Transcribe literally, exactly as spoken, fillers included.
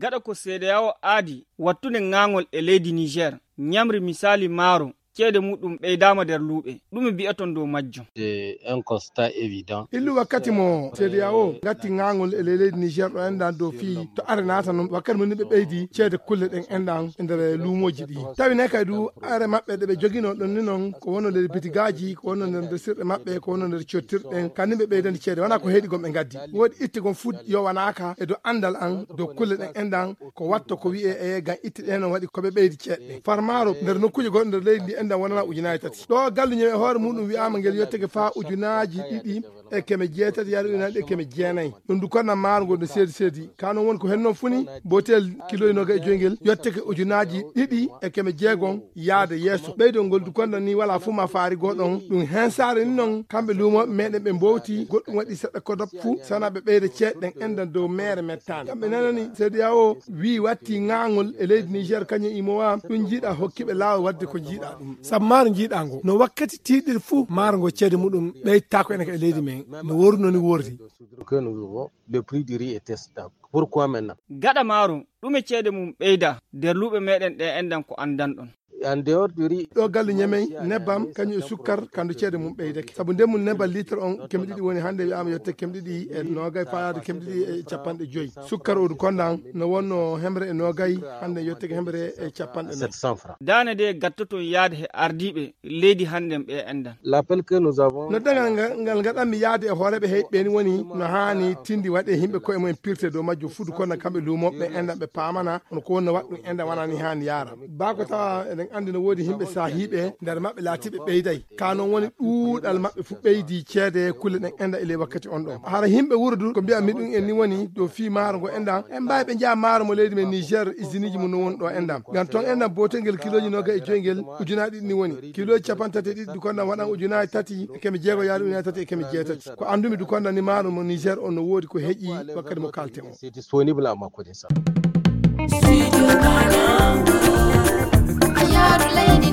gaɗa ko seedeyawo aadi wattude ŋaŋol e leydi Niger nyamri misali maaro ceede muɗum ɓeydama nder luuɓe ɗum bi'aton dow majjum. Un constat évident. Illu wakkati mo seedeyawo gatti ŋaŋol e leydi Niger ɗo endan dow fii to are naata non wakkati mo niɓe ɓeydi ceede kulle ɗen endan e nder luumoji ɗi tawi ne kay du are maɓɓe ɗe ɓe jogino ɗon ni noon ko wonno nder bitigaji ko wonno nder sirɗe maɓɓe ko wonno nder cottirɗen kanni ɓe ɓeydandi ceede wona ko heeɗi gon ɓe gaddi woodi itti gon fuu yowanaka e dow andal an dow kulle ɗen endan ko watta ko wi'e e gam itti ɗen on waɗi koɓe ɓeydi ceeɗe farmaro nder nokkuje goɗɗo nder leydi ndi endan wonana ujunaji tati ɗo galluño e hoore muɗum wi'ama ngel yetteke fa ujunaji ɗiɗi e keme jeetati yaade ujunaji e keme jeenayyi ɗum du konna maaro ngol no seedi seedi kanon woni ko hen noon funi botel kilo noga e joyngel yetteke ujunaji ɗiɗi e keme jeegon yaade yeeso ɓeydol ngol du konna ni wala fu ma faari goɗon ɗum hen saare ni noon kamɓe luumoɓe meɗen ɓe mbowti goɗɗum waɗi seɗɗa kodop fuu sana ɓe ɓeyde ceeɗɗen endan dow mere mettane kamɓe nanani seediyawo wi watti ŋaŋol e leydi Niger kañum imowa ɗum jiiɗa hokkiɓe laawol wadde ko jiiɗa ɗum saabu maaro jiiɗa ngo no wakkati tiiɗiri fuu maaro ngo ceede muɗum ɓeytako enen e leydi men no worno ni wordi. Le prix du riz était stable. Pourquoi maintenant? Gaɗa maaro ɗume ceede mum ɓeyda nder luuɓe meɗen ɗe endan ko andan ɗon. En dehors du riz ɗo galle ñamey nebbam kañum e sukkar kandu ceede mum ɓeydake saabu nden mum nebbam litre on keme ɗiɗi woni hannde wiyama yette keme ɗiɗi e nogay fayade keme ɗiɗi e capanɗe joyyi sukkar odu kondan no wonno hemre e nogay hannde yetteke hemre e capanɗe sept cents francs. Dane de gattoton yaade he ardiɓe leydi hannden ɓe endan. L'appel que nous avons no dagal ngal gaɗanmi yaade e hooreɓe heyɓe ni woni no hani tindi waɗe himɓe koye mumen pirte dow majjum fudu konna kamɓe luumoɓe endan ɓe pamana ono ko wonno waɗɗum endan wonani hani yaara bako tawa eɗen andi no woodi himɓe sahiɓe nder maɓɓe laatiɓe ɓeyday kanon woni ɗuuɗal maɓɓe fu ɓeydi ceede kulle ɗen enda ele wakkati on ɗo hara himɓe wurdu ko mbiya mi ɗum en ni woni dow fi maaro ngo endan en mbawi ɓe jaa maaro mo leydi men Niger usine ji mum no woni ɗo endan ngam ton endan botel ngel kiloji noga e joyngel ujunaji ɗiɗi ni woni kiloji capan tati e ɗiɗi dukondan waɗan ujunaji tati e keme jeego yaade ujunaji tati e keme jeetati ko andumi dukondan ni maaro mo Niger on no woodi ko heƴi wakkati mo kalte o. c'est disponible à ma connaissance. Studio Kalangu, Ayadu Lady